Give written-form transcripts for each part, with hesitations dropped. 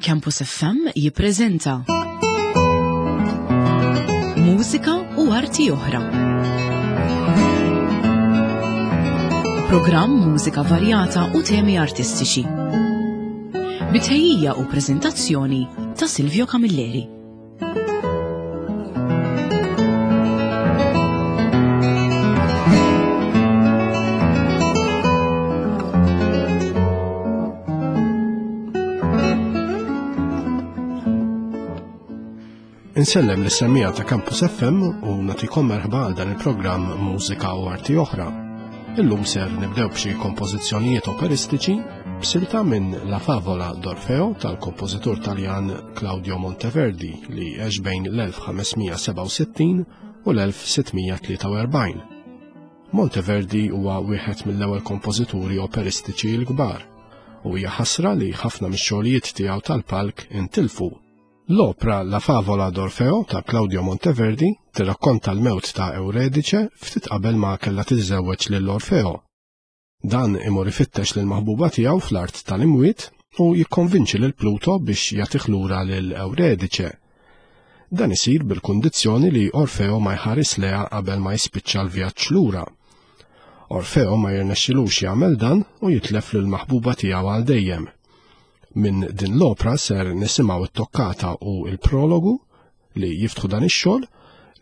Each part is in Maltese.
Campus FM jippreżenta Mużika u arti oħra. Programm mużika varjata u temi artistiċi. Bitħejjija u preżentazzjoni ta' Silvio Camilleri. Insellem l semmija ta' Campus FM u natikom merħba għal dan il-programm Mużika u Arti Oħra. Illum ser nibdew b'xi kompożizzjonijiet operistiċi b'silta minn La Favola d'Orfeo tal-kompożitur Taljan Claudio Monteverdi li għex bejn l-1567 u l-1643. Monteverdi huwa wieħed mill-ewwel kompożituri operistiċi l-kbar u hija ħasra li ħafna mix-xogħlijiet tiegħu tal-palk intilfu. L-opra La Favola d'Orfeo ta' Claudio Monteverdi tirrakkonta l-mewt ta' Euredice ftit qabel ma kellha tiżżewweġ lil Orfeo. Dan imur ifittex lil maħbuba tiegħu fl-art tal-imwiet u jikkonvinċi lil Pluto biex jagħtih lura lil Euredice. Dan isir bil-kundizzjoni li Orfeo ma jħares leha qabel ma jispiċċa l-vjaġġ lura. Orfeo ma jirnexxilux jagħmel dan u jitlef lil maħbuba tiegħu għal dejjem. Minn din l-opra ser nisimgħu t-toccata u l-prologu li jiftħu dan ix-xogħol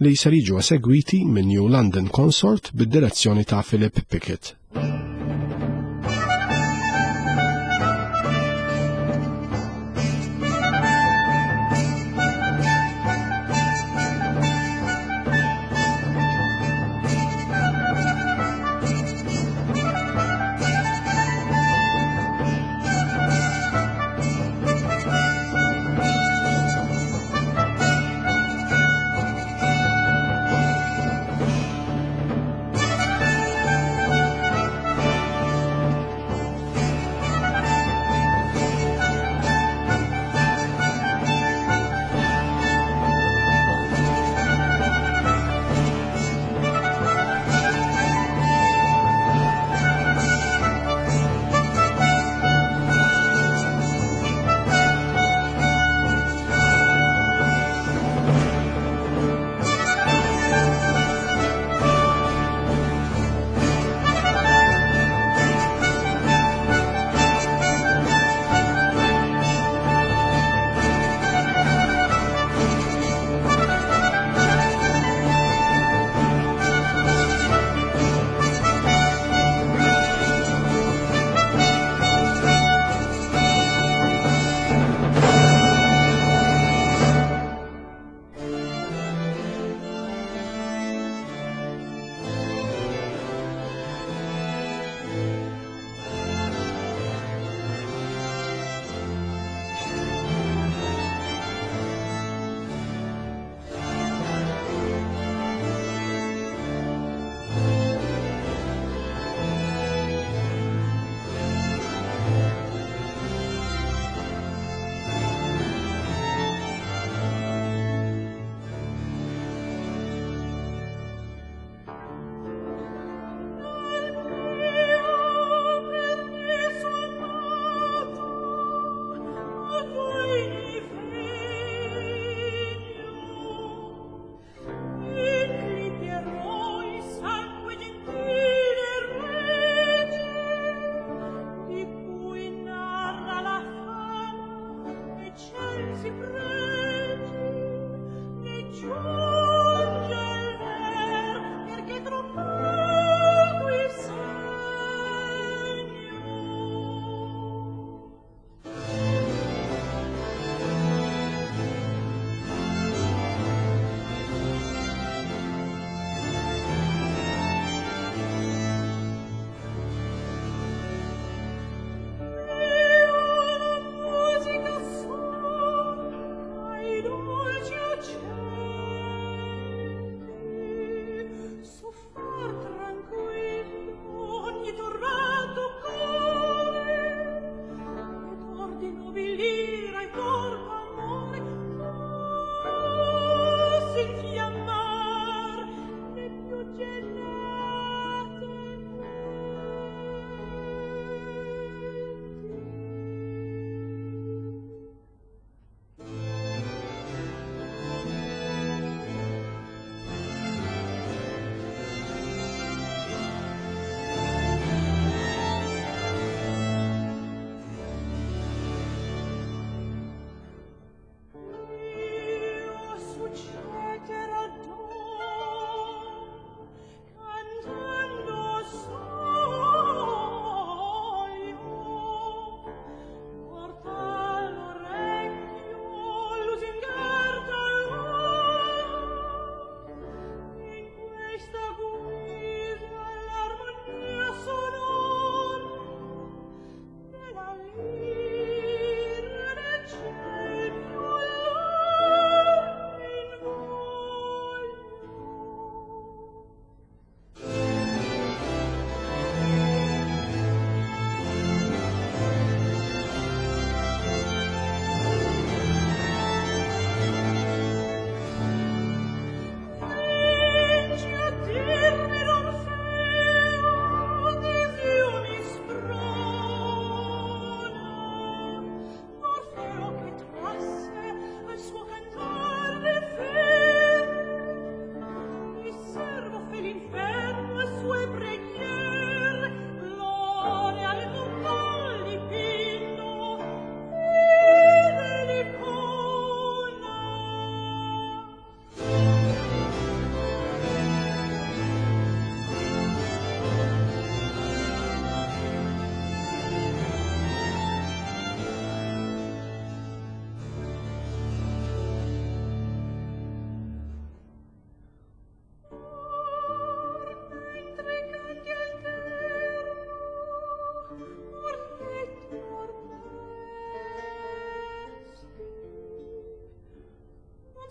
li ser jiġu esegwiti minn New London Consort bid-direzzjoni ta' Philip Pickett.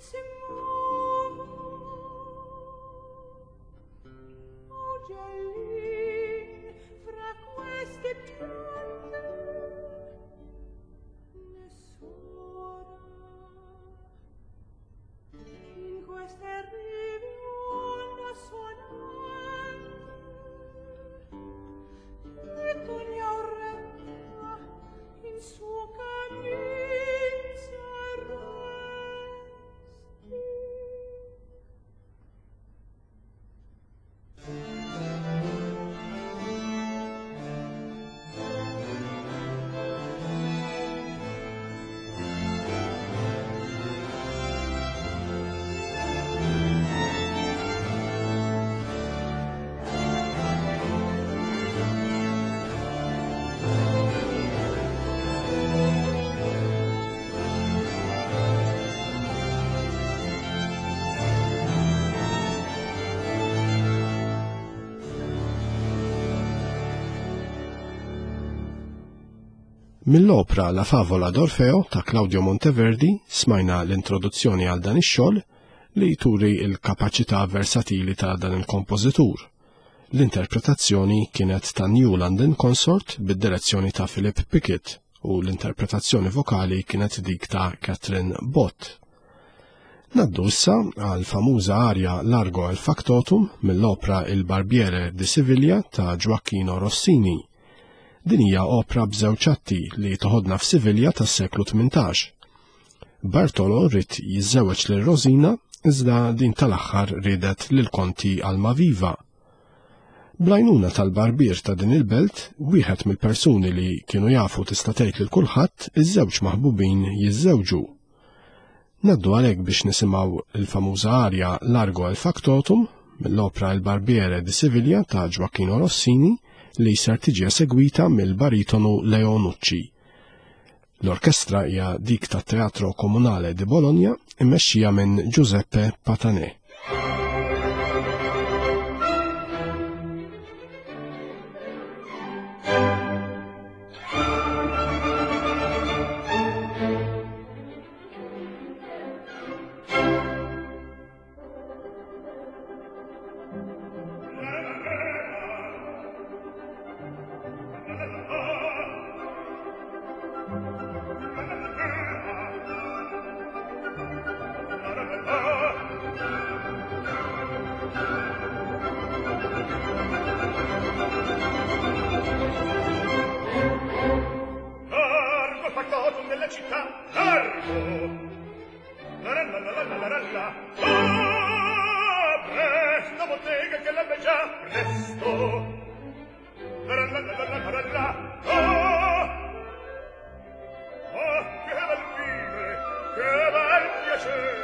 si muovo Ugellin fra queste piante nessuna in queste rive onda suonante e torna in suo cammin s'arresti. Mill-opra La Favola d'Orfeo ta' Claudio Monteverdi smajna l-introduzzjoni għal dan ix-xogħol li turi l-kapaċità versatili ta' dan il-kompożitur. L-interpretazzjoni kienet ta' New London Consort bid-direzzjoni ta' Philip Pickett u l-interpretazzjoni vokali kienet dik ta' Catherine Bott. Naddu issa għal famuża arja Largo al Factotum mill-opra Il Barbiere di Siviglia ta' Gioacchino Rossini. Din hija opra b'żewġ atti li toħodna f'Sivilja tas-seklu 18. Bartolo ried jiżżewweġ lil Rosina iżda din tal-aħħar riedet lil Konti Almaviva. Bl-għajnuna tal-barbier ta' din il-belt, wieħed mill-persuni li kienu jafu tista' tgħid lil kulħadd, iż-żewġ maħbubin jiżżewġu. Ngħaddu għalhekk biex nisimgħu l-famuża arja Largo al Factotum mill-opra Il Barbiere di Siviglia ta' Gioacchino Rossini li ser tiġi esegwita mill-baritonu Leo Nucci. L-orkestra hija dik tat-Teatro Comunale di Bologna immexxija minn Giuseppe Patanè. Largo factotum della città, largo! La la la la la la la. Ah, presto bottega che l'ebbe già, presto! La la la la la la la. Ah! Ah, che bel vivere, che bel piacere,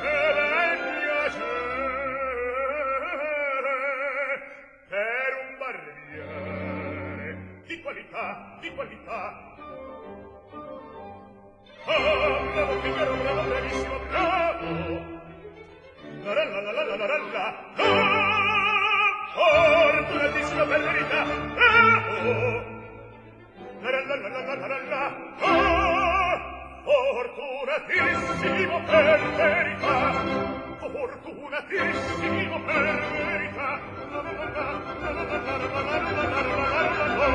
che bel piacere! Per un barbiere di qualità, di qualità. Ah, bravo Figaro, bravo, bravissimo, bravo! La la la la la la la la. Ah, fortunatissimo per verità, bravo! La la la la la la la la. Ah, fortunatissimo per verità, fortunatissimo per verità. La la la la la la la la la la la la la la.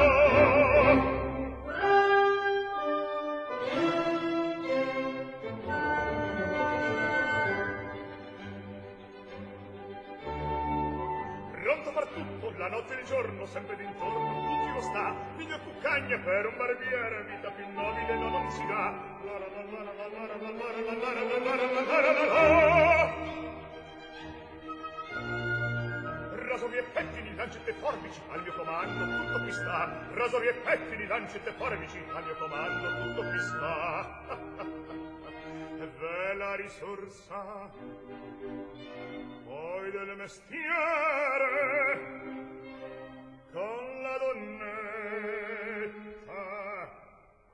Pronto far tutto, la notte e il giorno, sempre d'intorno, tutti lo sta, figlio cuccagna per un barbiere, vita più nobile no, non si dà. La la la la la la la la la la la la la la la la. Rasoli e pettini, lancette e forbici, al mio comando tutto qui sta. Rasoli e pettini, lancette e forbici, al mio comando tutto qui sta. E v'è la risorsa poi del mestiere con la donnetta,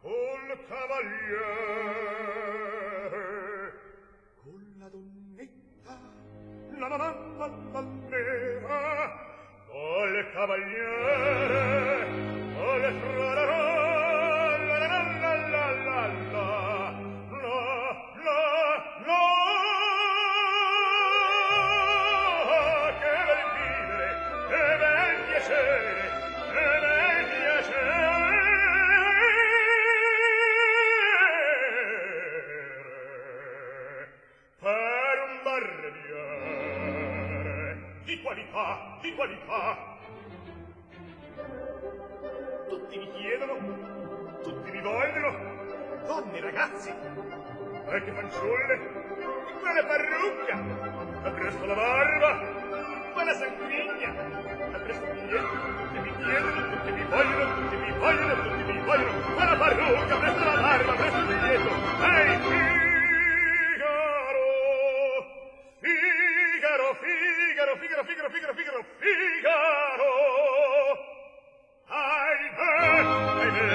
col cavaliere, con la donnetta, la la la la la la, col cavaliere, col tra la la la la la la la la la la. qualità, di qualità. Tutti mi chiedono, tutti mi vogliono, donne, ragazzi, anche fanciulle, quella parrucca, appresso la barba, quella sanguigna, appresso il biglietto, tutti mi chiedono, tutti mi vogliono, tutti mi vogliono, tutti mi vogliono, quella parrucca, appresso la barba, appresso il biglietto, ehi, Figaro, Figaro, Figaro, Figaro, Figaro, Figaro, Figaro. Ahimè, ahimè,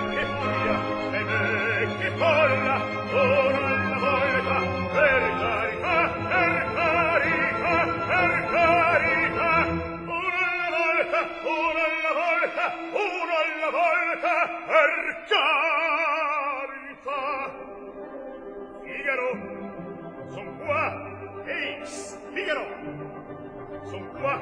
che furia, ahimè, che folla, ora alla volta, per carità, per carità, per carità, una alla volta, una alla volta, una alla volta, per carità. Figaro, son qua, ehi, Figaro, son qua,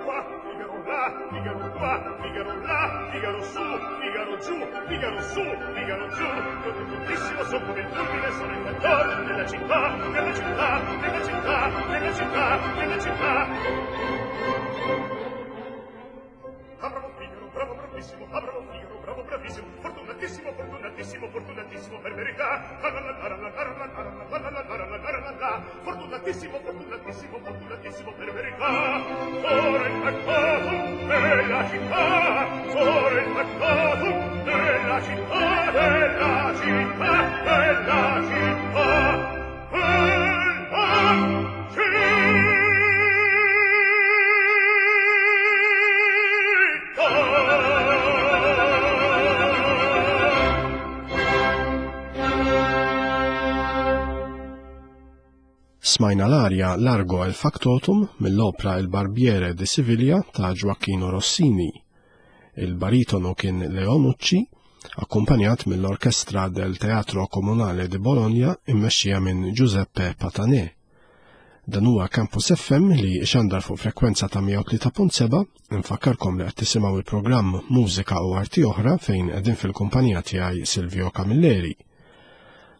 qua, Figaro là, Figaro qua, Figaro là, Figaro su, Figaro giù, Figaro su, Figaro giù, contentissimo son come il fulmine, sono il cantor della città, della città, della città, della città, della città. Ah, bravo Figaro, bravo, bravissimo, ah, bravo Figaro, bravo, bravissimo, fortunatissimo, fortunatissimo, fortunatissimo per verità, fortunatissimo, fortunatissimo, fortunatissimo per verità, sono il factotum della città, sono il factotum della città, della città, della città, della città. Smajna l-arja Largo el Factotum mill-opra Il Barbiere di Siviglia ta' Gioacchino Rossini. Il baritonu kien Leo Nucci, akkumpanjat mill-Orkestra del Teatro Comunale di Bologna immexxija minn Giuseppe Patanè. Dan huwa Campus FM li xandar fuq frekwenza ta' 103.7, infakkarkom li qed tisimgħu il-programm Mużika u Arti Oħra fejn qegħdin fil-kumpanija tiegħi Silvio Camilleri.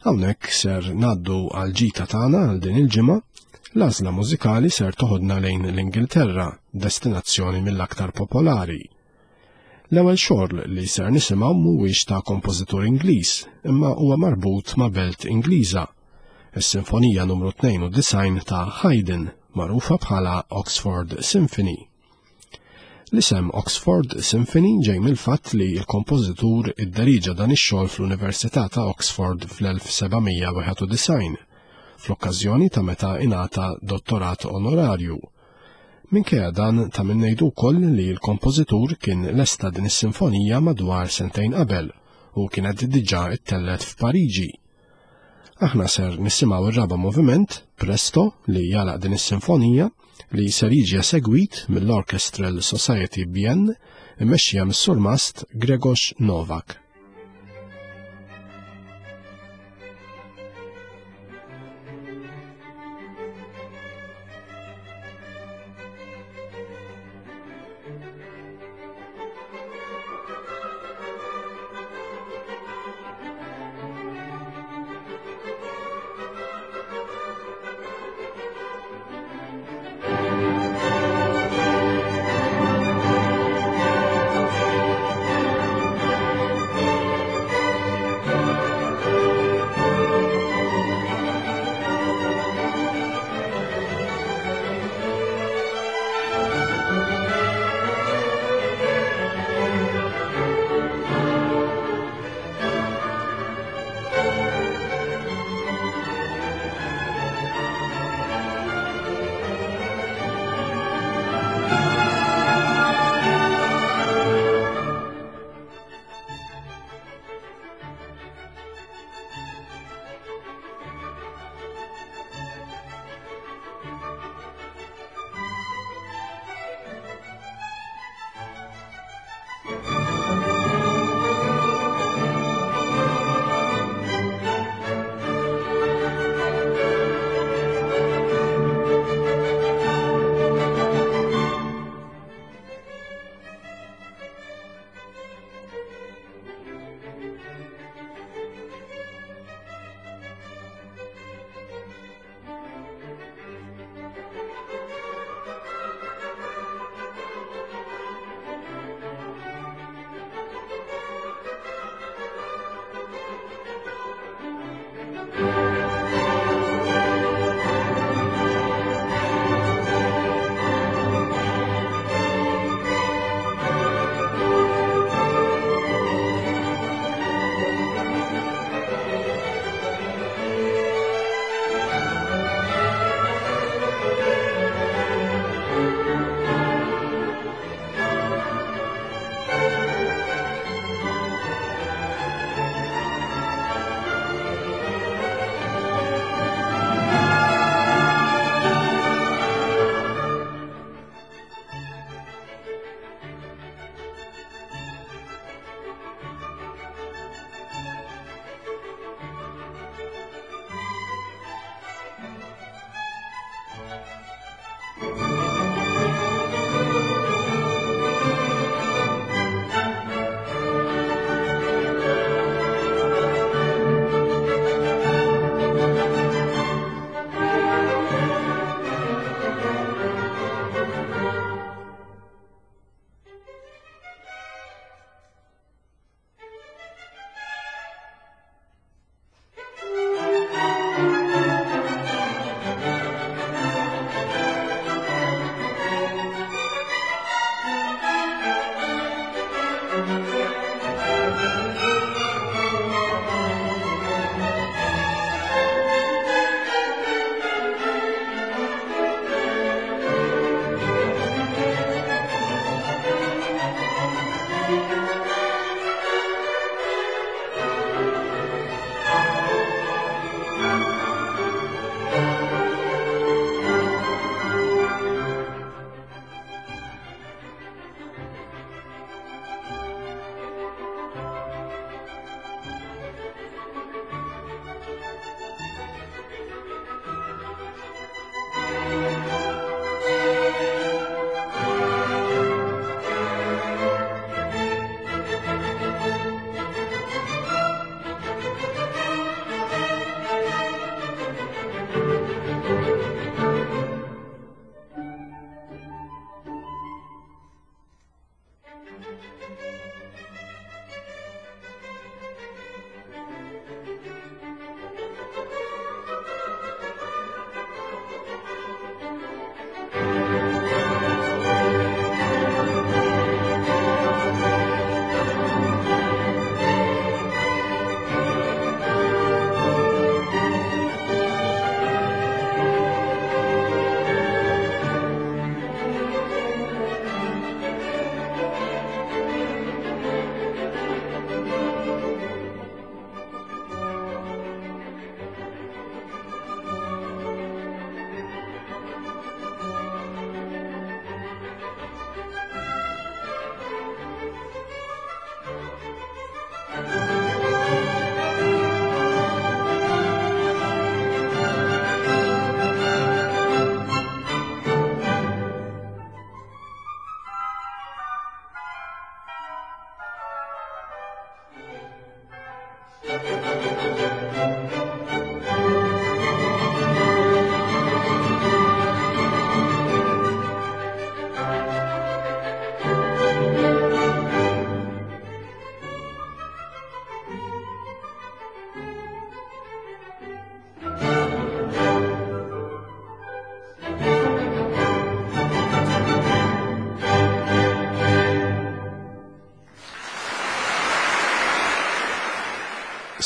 Hawnhekk ser ngħaddu għal ġita tagħna għal din il-ġimgħa, l-għażla mużikali ser toħodna lejn l-Ingilterra, destinazzjoni mill-aktar popolari. L-ewwel xogħol li ser nisimgħu mhuwiex ta' kompożitur Ingliż, imma huwa marbut ma' belt Ingliża. Is-Sinfonija numru 92 ta' Haydn, magħrufa bħala Oxford Symphony. L-isem Oxford Symphony ġej mill-fatt li l-kompożitur idderiġa dan ix-xogħol fl-Università ta' Oxford fl-1791, fl-okkażjoni ta' meta ingħata dottorat onorarju. Minkejja dan ta' min ngħidu wkoll li l-kompożitur kien lesta din is-sinfonija madwar sentejn qabel u kienet diġà ttellgħet f'Pariġi. Aħna ser nisimgħu r-raba' moviment, Presto, li jagħlaq din is-sinfonija, li ser jiġi esegwit mill-Orchestral Society Bienne, immexxija mis-surmast Gregos Novak.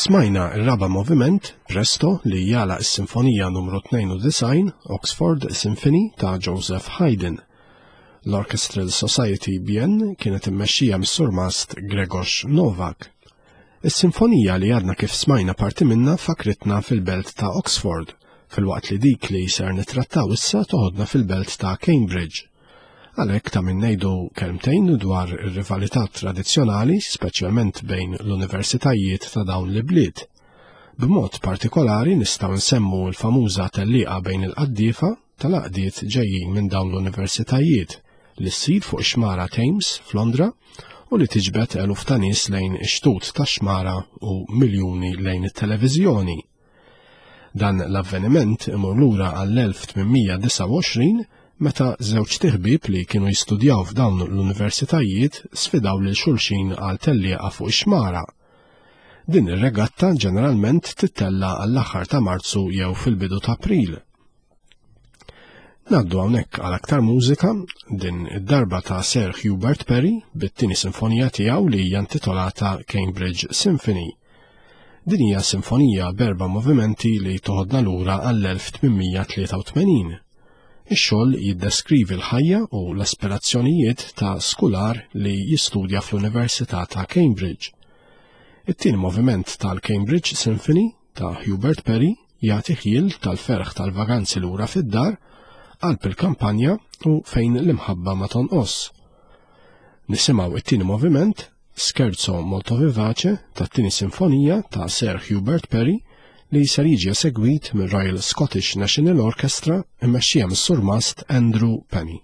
Smajna r-raba' moviment, Presto, li jagħlaq is-Sinfonija Numru 92, Oxford Symphony ta' Joseph Haydn. L-Orchestral Society Bien kienet immexxija mis-Surmast Gregos Novak. Is-sinfonija li għadna kif smajna parti minnha fakritna fil-belt ta' Oxford, filwaqt li dik li ser nittrattaw issa toħodna fil-belt ta' Cambridge. Għalhekk ta' min ngħidu kelmtejn dwar ir-rivalità tradizzjonali, speċjalment bejn l-universitajiet ta' dawn l-ibliet. B'mod partikolari nistgħu nsemmu l-famuża tellieqa bejn il-qaddiefa tal-għaqdiet ġejjin minn dawn l-universitajiet li ssir fuq ix-xmara Thames f'Londra u li tiġbed eluf ta' nies lejn ix-xtut tax-xmara u miljuni lejn it-televiżjoni. Dan l-avveniment imur lura għall-1829 meta żewġ tiħbib li kienu jistudjaw f'dawn l-universitajiet sfidaw lil xulxin għal tellieqa fuq ix-xmara. Din ir-regatta ġeneralment tittella għall-aħħar ta' Marzu jew fil-bidu ta' April. Naddu hawnhekk għal aktar mużika, din id-darba ta' Sir Hubert Perry bit-tieni sinfonija tiegħu li hija intitolata Cambridge Symphony. Din hija sinfonija b'erba' movimenti li toħodna lura għall-1883. Ix-xogħol jiddeskrivi l-ħajja u l-aspirazzjonijiet ta' skular li jistudja fl-Università ta' Cambridge. It-tieni moviment tal-Cambridge Symphony ta' Hubert Perry jagħti ħjiel tal-ferħ tal-vaganzi lura fid-dar, qalb il-kampanja u fejn l-imħabba ma tonqos. Nisimgħu it-tieni moviment, Scherzo molto vivace, tat-tieni sinfonija ta' Sir Hubert Perry li ser jiġi esegwit mir-Royal Scottish National Orchestra mmexxija mis-Surmast Andrew Penny.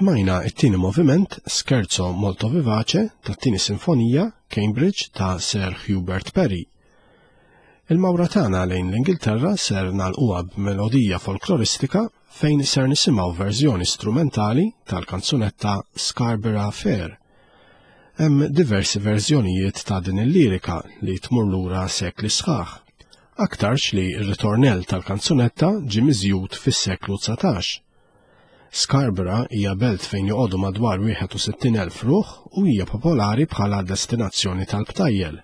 Smajna it-tieni moviment Scherzo molto vivace tat-tieni sinfonija Cambridge ta' Sir Hubert Parry. Il-mawra tagħna lejn l-Ingilterra ser nagħlquha b'melodija folkloristika fejn ser nisimgħu verżjoni strumentali tal-kanzunetta Scarborough Fair. Hemm diversi verżjonijiet ta' din il-lirika li tmur lura sekli sħaħ. Aktarx li r-ritornell tal-kanzunetta ġie miżjud fis-seklu 19. Scarborough hija belt fejn joqogħdu madwar 61,000 ruħ u hija popolari bħala destinazzjoni tal-btajjel.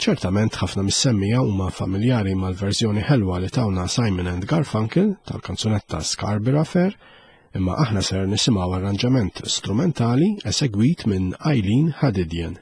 Ċertament ħafna mis-semmiegħa huma familjari mal-verżjoni ħelwa li tawna Simon and Garfunkel tal-kanzunetta Scarborough Fair, imma aħna ser nisimgħu arranġament strumentali esegwit minn Eileen Hadidian.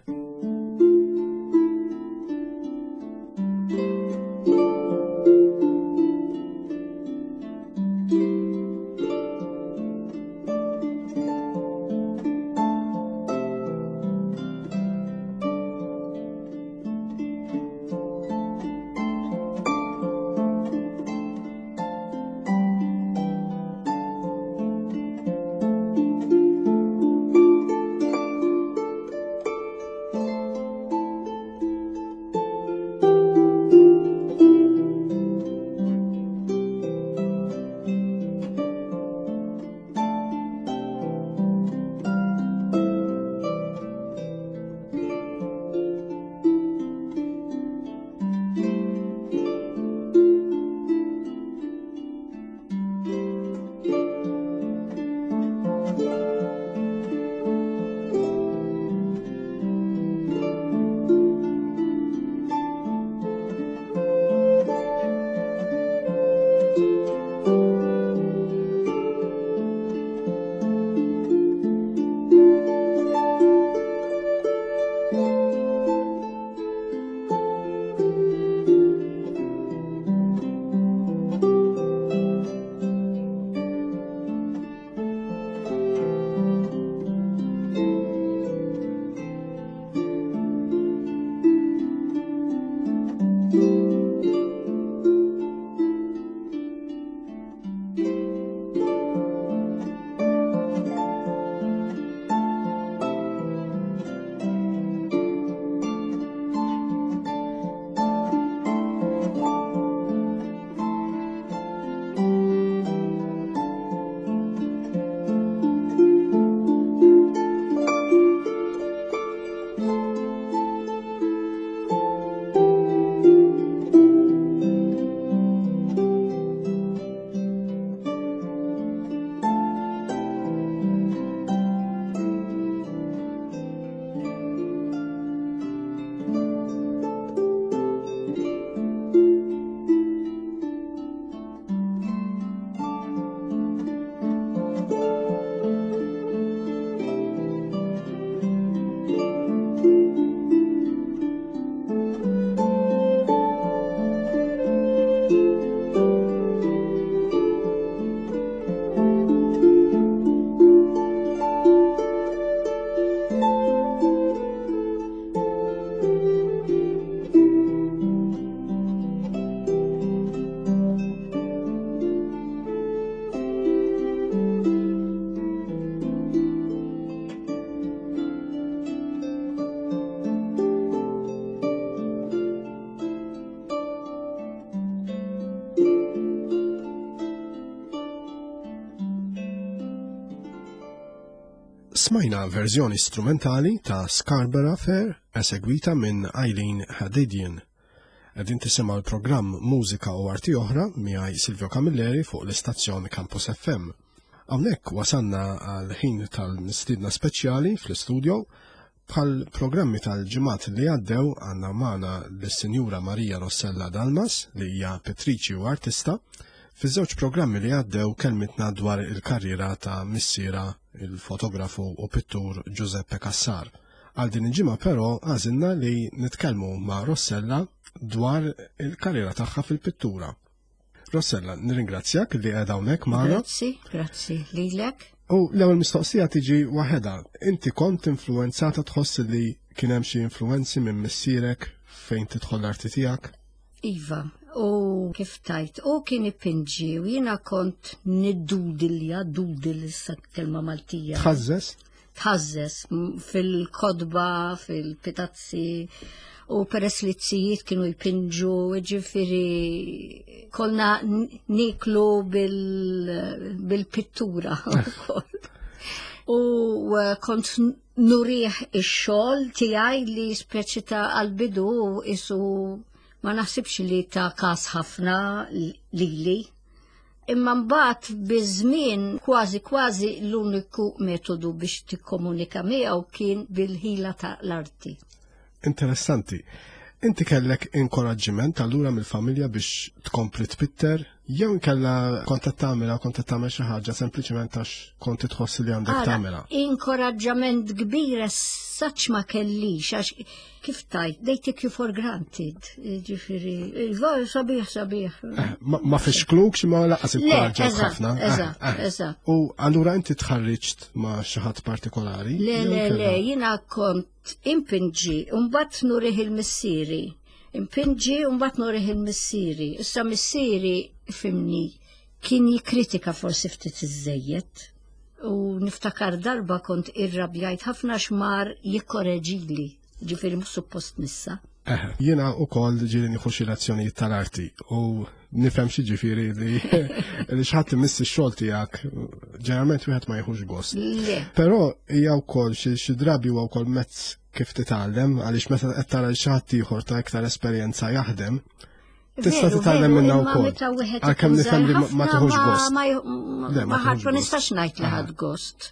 Smajna verżjoni strumentali ta' Scarborough Fair esegwita minn Eileen Hadidian. Qegħdin tisimgħu l-programm Mużika u Arti Oħra miegħi Silvio Camilleri fuq l-istazzjon Campus FM. Hawnhekk wasanna għal ħin tal-mistiedna speċjali fl-istudio bħal programmi tal-ġimgħat li għaddew għandna magħna lis-Sinjura Maria Rossella Dalmas li hija pittriċi u artista. Fiż-żewġ programmi li għaddew kelmitna dwar il-karriera ta' missiera il-fotografu u pittur Giuseppe Cassar. Għal din il-ġimgħa però għażilna li nitkellmu ma' Rossella dwar il-karriera tagħha fil-pittura. Rossella, nirringrazzjak li qiegħda hawnhekk magħna. Grazzi, grazzi lilek. U l-ewwel mistoqsija tiġi waħedha. Inti kont influenzata tħoss li kien hemm xi influenzi minn missierek fejn tidħol l-arti tiegħek? Iva, U kif tajt, u kien ipinġi u jiena kont niddudilja, dudil issa kelma Maltija. Tħażżes? Tħażżes fil-kodba, fil-pitazzi, u peress li t-sijiet kienu jpinġu, ġifiri konna niklu bil-pittura. U eh, kont nurih ix-xogħol tiegħi li speċi ta' għal-bidu isu ma naħsibx li ta' kas ħafna lili. Imma mbagħad biż-żmien kważi kważi l-uniku metodu biex tikkomunika miegħu kien bil-ħila ta' l-arti. Interessanti. Inti kellek inkoraġġiment allura mill-familja biex tkompli tpitter jew inkella kont qed tagħmilha kont qed tagħmel xi ħaġa sempliċement għax kont tħoss li għandek tagħmilha. Inkoraġġament kbir saċ ma kellix għax kif tajt, they take you for granted, ġifiri, iva, sabiħ, sabiħ. Eh, ma fixklukx ma laqas inkoraġġak ħafna. Eh, eżatt, eh. eżatt. U allura inti tħarriġt ma xi ħadd partikolari? Le, le, le, jiena kont impinġi, mbagħad nurih il-missieri. Impinġi u mbagħad nurih il-missieri. Issa missieri fimni kien jikkritika forsi ftit iżejjed. U niftakar darba kont irrabjajt ħafna xmar jikkoreġili, ġifieri mhux suppost nissa. Eh, jiena u koll ġiri nieħu xi lezzjonijiet tal-arti u nifhem xi ġifieri li li xi ħadd imiss ix-xogħol tiegħek ġeneralment wieħed ma jieħux gost. Però hija wkoll xi drabi huwa wkoll mezz kif titgħallem għaliex meta qed tara xi ħadd ieħor ta' iktar esperjenza jaħdem, tista' titgħallem minnha wkoll. Għalkemm nifhem li ma tieħux gost. Ma ħadd ma nistax ngħid li ħadd gost.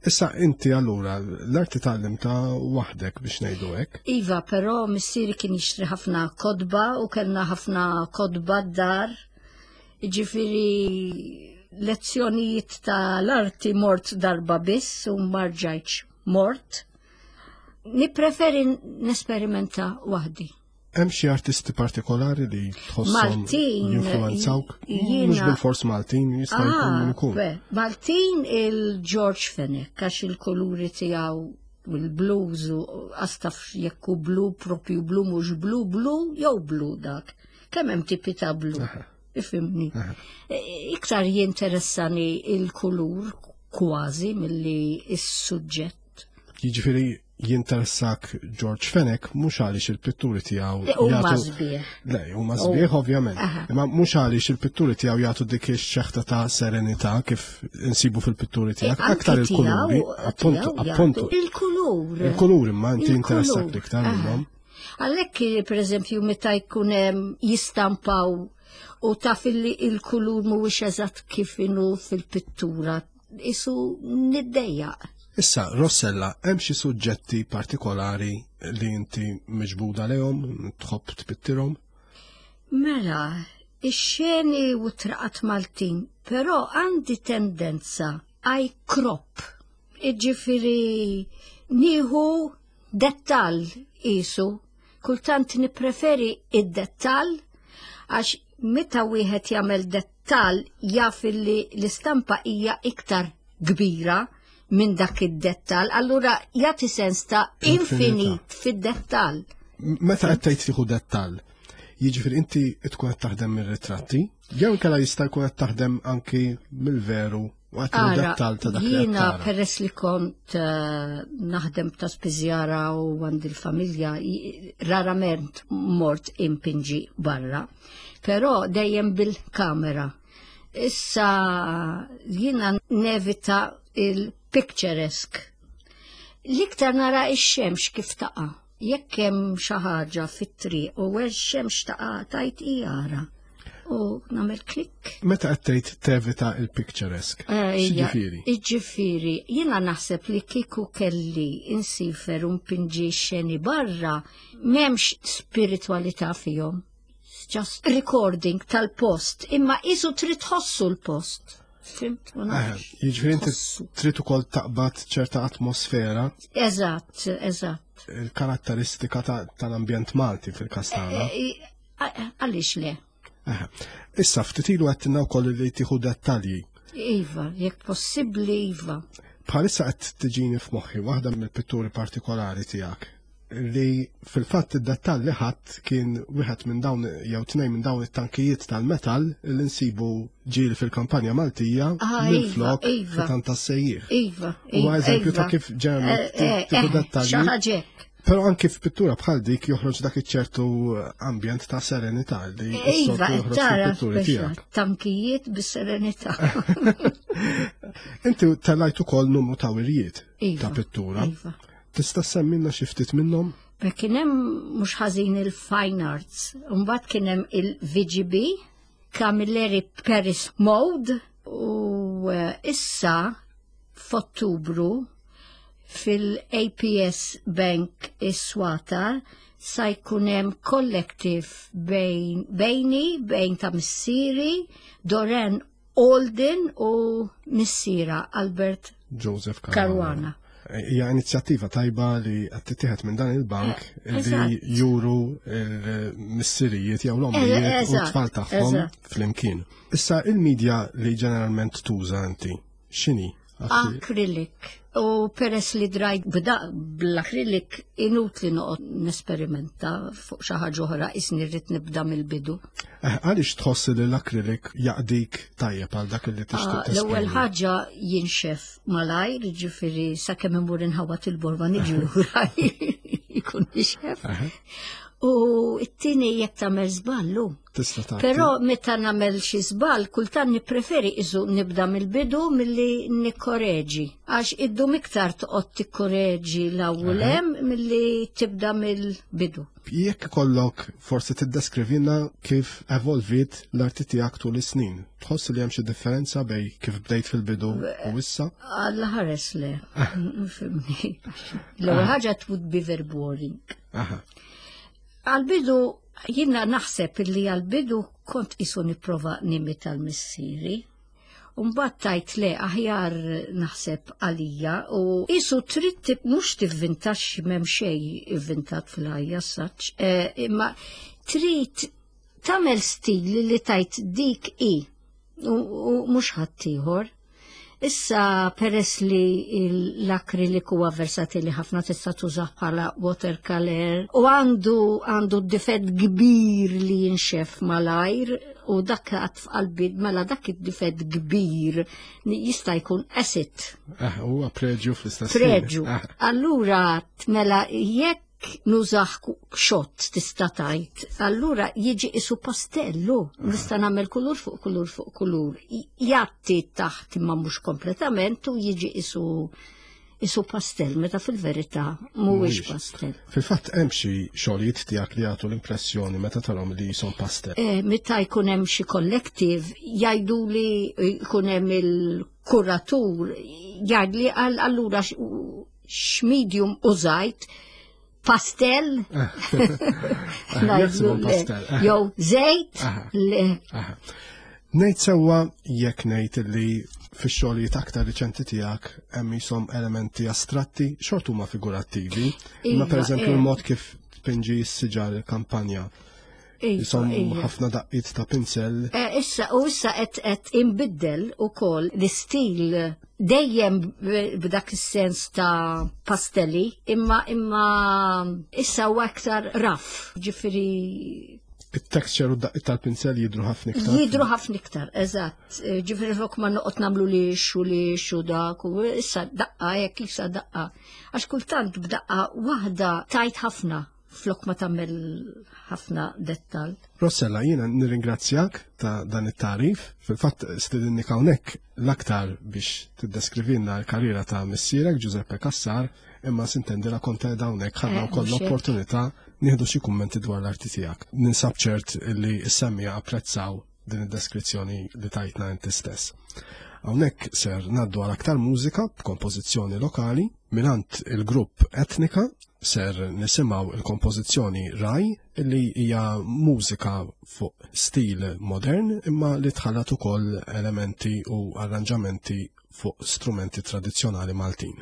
Issa inti allura l-arti tgħallim ta' waħdek biex ngħidu hekk. Iva, però missieri kien jixtri ħafna kodba u kellna ħafna kodba d-dar. Ġifieri lezzjonijiet tal-arti mort darba biss u marġajċ mort. Nippreferi nesperimenta waħdi. Hemm xi artisti partikolari li tħosshom Maltin jinfluwenzawk? Mhux bil-fors Maltin, jista' jkun ah, min ikun. Maltin il-George Fenech għax il-kuluri tiegħu u l-blues u għastaf jekku blu propju blu mhux blu blu jew blu dak. Kemm hemm tipi ta' blu? Ifimni. E, iktar jinteressani il-kulur kważi milli is-suġġett. Jiġifieri jinteressak George Fenech mhux għaliex il-pitturi tiegħu huma sbieħ. Le, huma sbieħ ovvjament. Imma mhux għaliex il-pitturi tiegħu jagħtu dik ix-xeħta ta' serenità kif insibu fil-pitturi tiegħek, e, aktar il-kuluri, appuntu, appuntu. Il-kulur. Il-kulur imma inti jinteressak l-iktar minnhom. Għalhekk pereżempju meta jkun hemm jistampaw u taf illi il-kulur mhuwiex eżatt kif inhu fil-pittura, isu niddejjaq. Issa, Rossella, hemm xi suġġetti partikolari li inti miġbuda lehom, tħobb tpittirhom? Mela, ix-xeni u traqat Maltin, però għandi tendenza I crop. Iġifieri nieħu Dettall qisu, kultant nippreferi id-dettall għax meta wieħed jagħmel dettall jaf illi l-istampa hija iktar kbira minn dak id-dettall, allura jagħti sens ta' infinit fid-dettall. Meta qed tgħid tieħu dettall, jiġifieri inti tkun qed taħdem mir-ritratti, jew inkella jista' jkun qed taħdem anki mill-veru Ara, jiena peress li kont eh, naħdem ta' spiżjara u għandi l-familja, rarament mort impinġi barra, però dejjem bil-kamera. Issa jiena nevita il-picturesque. L-iktar nara ix-xemx kif taqa' jekk hemm xi ħaġa fit-triq u x-xemx taqa' tajt ijara u nagħmel klik. Meta qed tgħid tevita il-picturesque? Eh, X'ġifieri? Iġifieri, jiena naħseb li kieku kelli insifer u npinġi xeni barra m'hemmx spiritwalità fihom. Just recording tal-post, imma isu trid tħossu l-post. Fimt, ma eh, nafx. Jiġifieri inti trid ukoll taqbad ċerta atmosfera. Eżatt, eżatt. Il-karatteristika tal-ambjent Malti fil-każ tagħna. Eh, Għaliex le? Issa, ftit ilu għattinna wkoll li tieħu dettalji. Iva, jekk possibbli iva. Bħalissa qed tiġini f'moħħi waħda mill-pitturi partikolari tiegħek. li fil-fatt id-dettall li ħadd kien wieħed minn dawn jew tnejn minn dawn it-tankijiet tal-metall li nsibu ġieli fil-kampanja Maltija Ah, minn iva, flok iva. xitan tas-sejjieħ. Iva, Huwa iva, eżempju ta' iva. kif ġeneralment tieħu dettalji. Xi ħaġa hekk. Però anki f'pittura bħal dik joħroġ dak iċ-ċertu ambjent ta' serenità li Iva, s-soltu joħroġ tara fil-pitturi speċa tiegħek. tankijiet bis-serenità. Inti tellajt ukoll numru ta' wirjiet Iva, ta' pittura. Iva. Tista' semmilna xi ftit minnhom? Beh, kien hemm mhux ħażin il-Fine Arts, mbagħad kien hemm il-VGB, Camilleri Paris Mode, u issa f'Ottubru fil-APS Bank is-Swatar sa jkun hemm collective bejn bejni, bejn ta' missieri, Doren Olden u missiera Albert Joseph Caruana. Caruana. Hija inizjattiva tajba li qed tittieħed minn dan il-bank li Eżatt. juru l-missirijiet jew l-ommijiet u Eżatt, t-tfal tagħhom eżatt. flimkien. Issa il-medja li ġeneralment tuża inti, x'inhi? Acrylic. U peress li drajt bda bl-acrylic inutli noqgħod nesperimenta fuq xi ħaġa oħra isni rrid nibda mill-bidu. Għaliex tħoss li l-acrylic jaqdik tajjeb għal dak li tixtieq Ah, L-ewwel tesprimi? ħaġa jinxef malajr, ġifieri sakemm imur inħawat il-borma niġi lura jkun nixef. U t-tieni jekk tagħmel żballu. Tista' tagħti. Però meta nagħmel xi żball, kultant nippreferi iżu nibda mill-bidu milli nikkoreġi. Għax iddum iktar toqgħod tikkoreġi l-ewwel hemm milli tibda mill-bidu. Jekk ikollok forsi tiddeskrivilna kif evolvit l-arti tiegħek tul is-snin. Tħoss li hemm xi differenza bej kif bdejt fil-bidu u issa? Alla ħares le. Fimni. L-ewwel ħaġa it would be very boring. Għal-bidu, jiena naħseb illi għal-bidu kont isu nipprova nimita l-missieri. Umbat tajt le aħjar naħseb għalija u isu trid mhux tivvintax m'hemm xejn ivvintat fil-ħajja saċ, imma trid tagħmel stil li tajt dik i u mhux ħaddieħor. Issa peress li l-akrilik huwa versatili ħafna tista' tużah bħala watercolor u għandu difett kbir li jinxef malajr u dak għad f'qalbi mela dak id-difett kbir jista' jkun acid. Huwa preġju fl-istess ħin. Preġju. Allura mela jekk nużah xott tista' tajt, allura jiġi isu pastellu, nista' nagħmel kulur fuq kulur fuq kulur. Jatti taħt imma mhux kompletament u jiġi isu pastell, meta fil-verità mhuwiex Mhuwiex. pastell. Fil-fatt hemm xi xogħlijiet tiegħek li jagħtu l-impressjoni meta tarhom li jisom pastell. Meta jkun hemm xi collective jgħidu li jkun hemm il-kuratur jgħid li allura x'medium użajt pastell. Jaħsbu pastell. Jew żejt. Le. Ngħid sewwa jekk ngħid li fix-xogħlijiet aktar riċenti tiegħek hemm jisom elementi astratti, xort huma figurattivi, imma Iva, pereżempju l-mod kif tpinġi s-siġar il-kampanja. Jisom ħafna daqqiet ta' pinsel. Issa, u issa qed inbiddel ukoll l-istil dejjem b'dak is-sens ta' pastelli, imma issa huwa aktar raff, ġifieri it-texture u d-daqqiet tal-pinsel jidru ħafna iktar. Jidru ħafna iktar, eżatt. Ġifieri flok ma noqgħod nagħmlu li xu li xu dak u issa daqqa hekk issa daqqa. Għax kultant b'daqqa waħda tajt ħafna flok ma tagħmel ħafna dettal. Rossella, jiena nirringrazzjak ta' dan it-tarif. Fil-fatt stedinnik hawnhekk l-aktar biex tiddeskrivilna l-karriera ta' missierek Giuseppe Cassar, imma sintendi la kont qiegħda hawnhekk ħadna wkoll Mhux hekk. l-opportunità nieħdu xi kummenti dwar l-arti tiegħek. Ninsab ċert li s-semmija apprezzaw din id-deskrizzjoni li tajtna inti stess. Hawnhekk ser ngħaddu għal aktar mużika b'kompożizzjoni lokali mingħand il-grupp Etnika. Ser nisimgħu il-kompożizzjoni Raj, li hija mużika fuq stil modern imma li tħallat ukoll elementi u arranġamenti fuq strumenti tradizzjonali Maltin.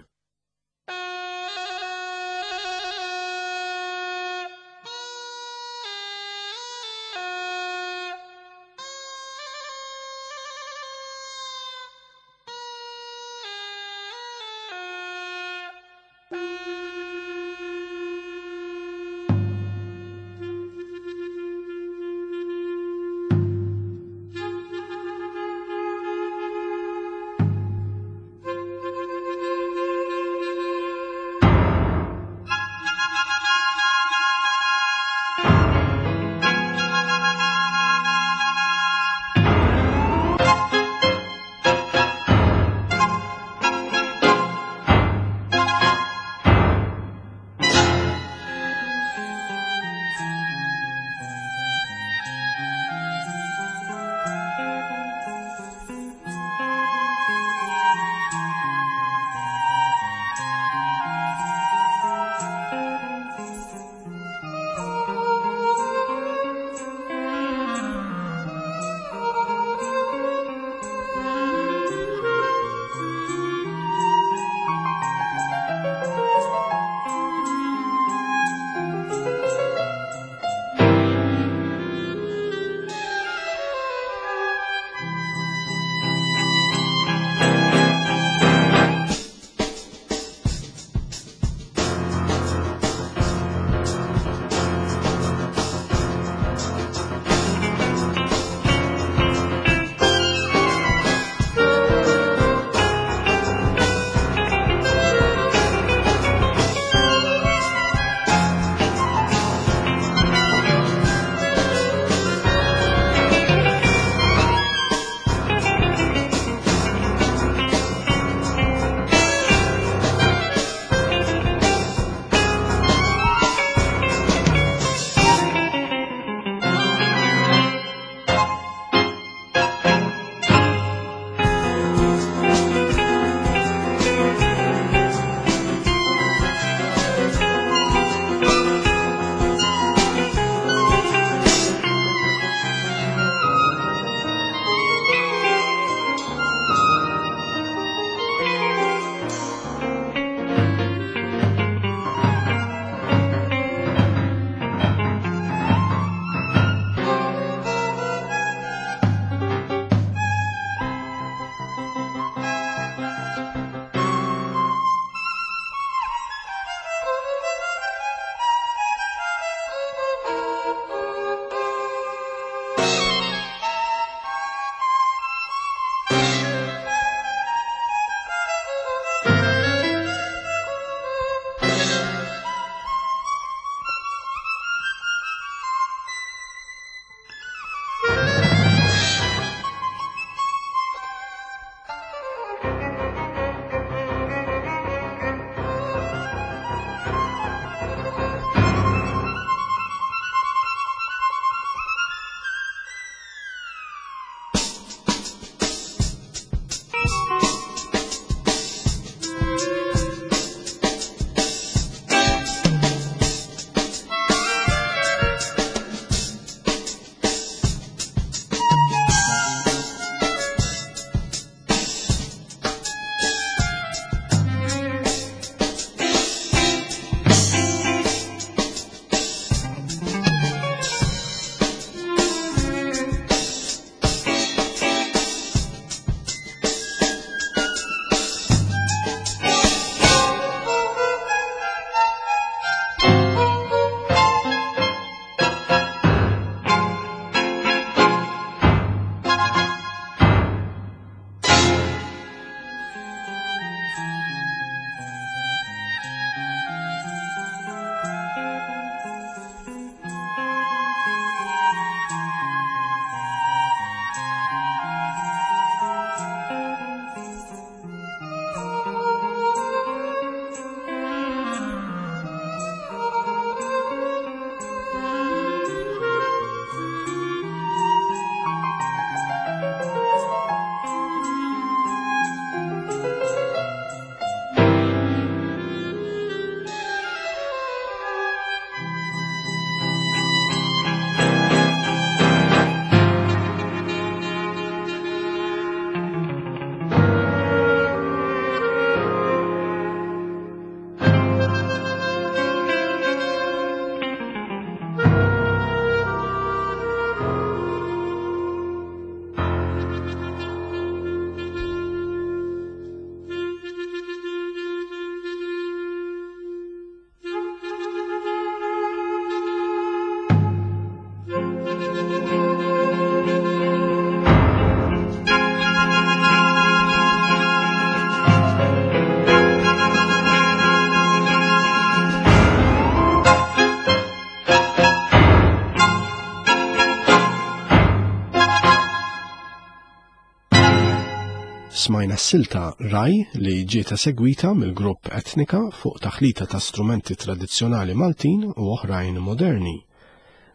Smajna s-silta Raj li ġiet esegwita mill-grupp Etnika fuq taħlita ta' strumenti tradizzjonali Maltin u oħrajn moderni.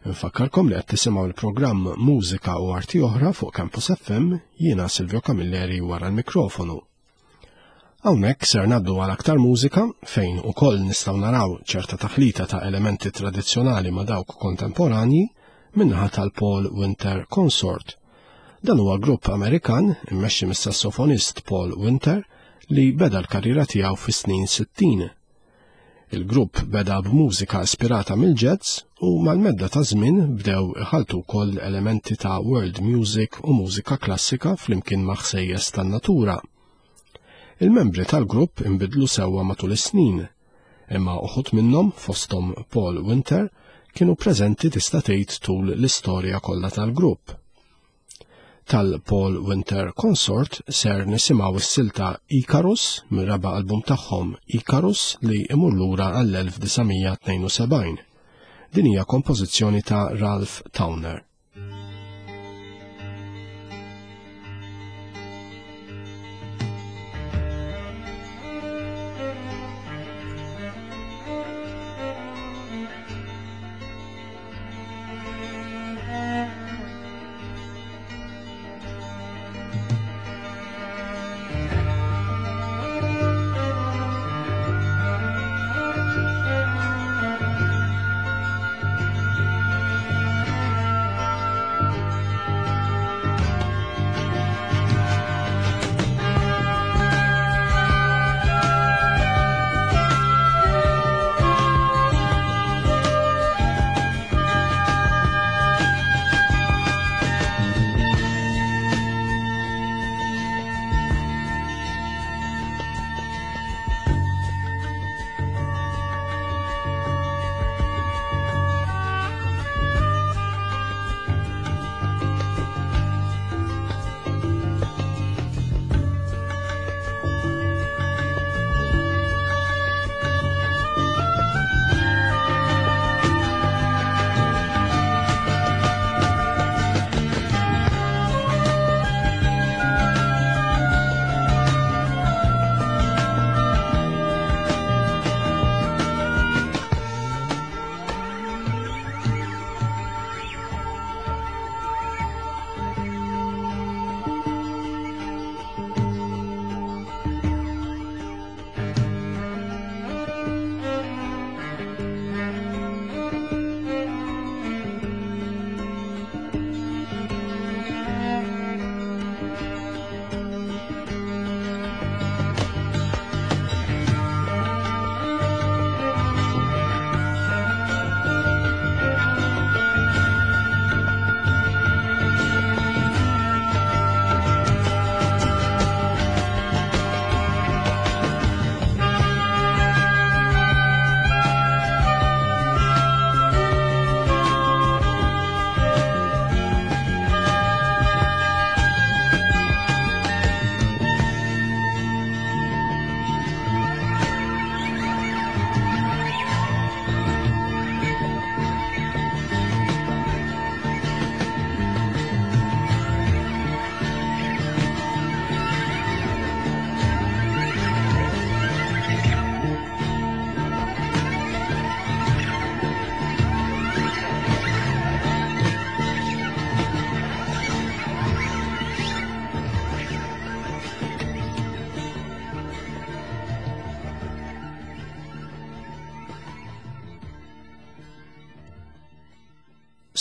Nfakkarkom li qed tisimgħu l-programm Mużika u Arti Oħra fuq Campus FM jiena Silvio Camilleri wara l-mikrofonu. Hawnhekk ser ngħaddu għal aktar mużika fejn ukoll nistgħu naraw ċerta taħlita ta' elementi tradizzjonali ma' dawk kontemporanji min-naħa tal-Paul Winter Consort. Dan huwa grupp Amerikan immexxi mis-sassofonist Paul Winter li beda l-karriera tiegħu fis-snin 60. Il-grupp beda b'mużika ispirata mill-jazz u mal-medda ta' żmien bdew iħalltu wkoll elementi ta' world music u mużika klassika flimkien ma' ħsejjes tan-natura. Il-membri tal-grupp inbidlu sewwa matul is-snin, imma uħud minnhom fosthom Paul Winter kienu preżenti tista' tgħid tul l-istorja kollha tal-grupp. Tal-Paul Winter Consort ser nisimgħu s-silta Icarus mir-raba' album tagħhom Icarus li imur lura għall-1972. Din hija kompożizzjoni ta' Ralph Towner.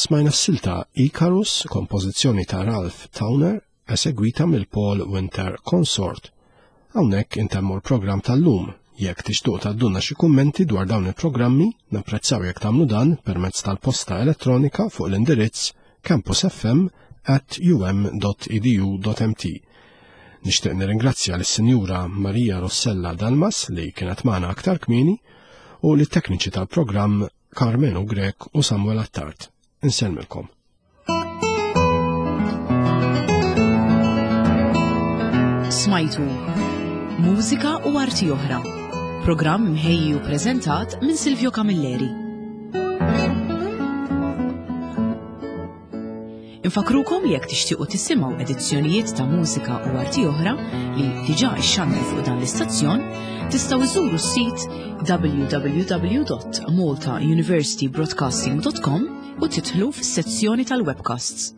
Smajna s-silta Icarus, kompożizzjoni ta' Ralph Towner, esegwita mill-Paul Winter Consort. Hawnhekk intemmu l-programm tal-lum. Jekk tixtuq tgħaddulna xi kummenti dwar dawn il-programmi, napprezzaw jekk tagħmlu dan permezz tal-posta elettronika fuq l-indirizz campusfm@um.edu.mt. Nixtieq nirringrazzja lis-Sinjura Maria Rossella Dalmas li kienet magħna aktar kmieni u lit-tekniċi tal-programm Carmenu Grech u Samuel Attard. Insellmilkom. Smajtu Mużika u Arti Oħra. Programm mħejji u preżentat minn Silvio Camilleri. Infakrukom li jekk tixtiequ tisimgħu edizzjonijiet ta' mużika u arti oħra li diġà ixxandru fuq dan l-istazzjon, tistgħu iżuru s-sit www.maltauniversitybroadcasting.com u tidħlu fis-sezzjoni tal-webcasts.